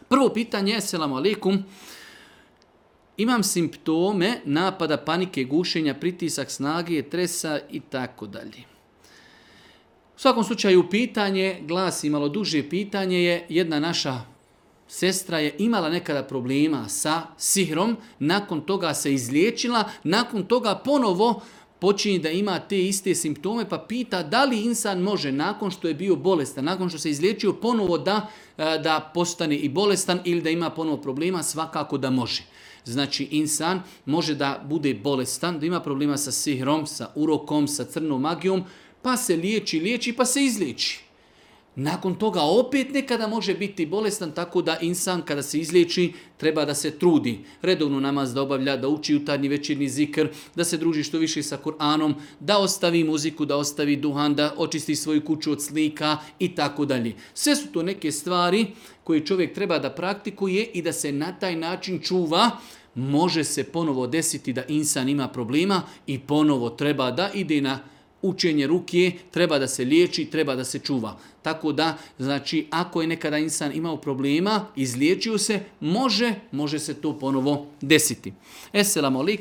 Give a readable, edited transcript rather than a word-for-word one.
Prvo pitanje, selamu alaikum. Imam simptome napada panike, gušenja, pritisak snage, tresa i tako dalje. U svakom slučaju pitanje, glasi malo duže pitanje je, jedna naša sestra je imala nekada problema sa sihrom, nakon toga se izliječila, nakon toga ponovo počinje da ima te iste simptome, pa pita da li insan može nakon što je bio bolestan, nakon što se izliječio ponovo da postane i bolestan ili da ima ponovo problema, svakako da može. Znači insan može da bude bolestan, da ima problema sa sihrom, sa urokom, sa crnom magijom, pa se liječi, pa se izliječi. Nakon toga opet nekada može biti bolestan, tako da insan kada se izliječi treba da se trudi. Redovno namaz da obavlja, da uči jutarnji večernji zikr, da se druži što više sa Kur'anom, da ostavi muziku, da ostavi duhan, da očisti svoju kuću od slika i tako dalje. Sve su to neke stvari koje čovjek treba da praktikuje i da se na taj način čuva. Može se ponovo desiti da insan ima problema i ponovo treba da ide na učenje rukije, treba da se liječi, treba da se čuva. Tako da, znači, ako je nekada insan imao problema, izliječio se, može se to ponovo desiti. Esselamu alaikum.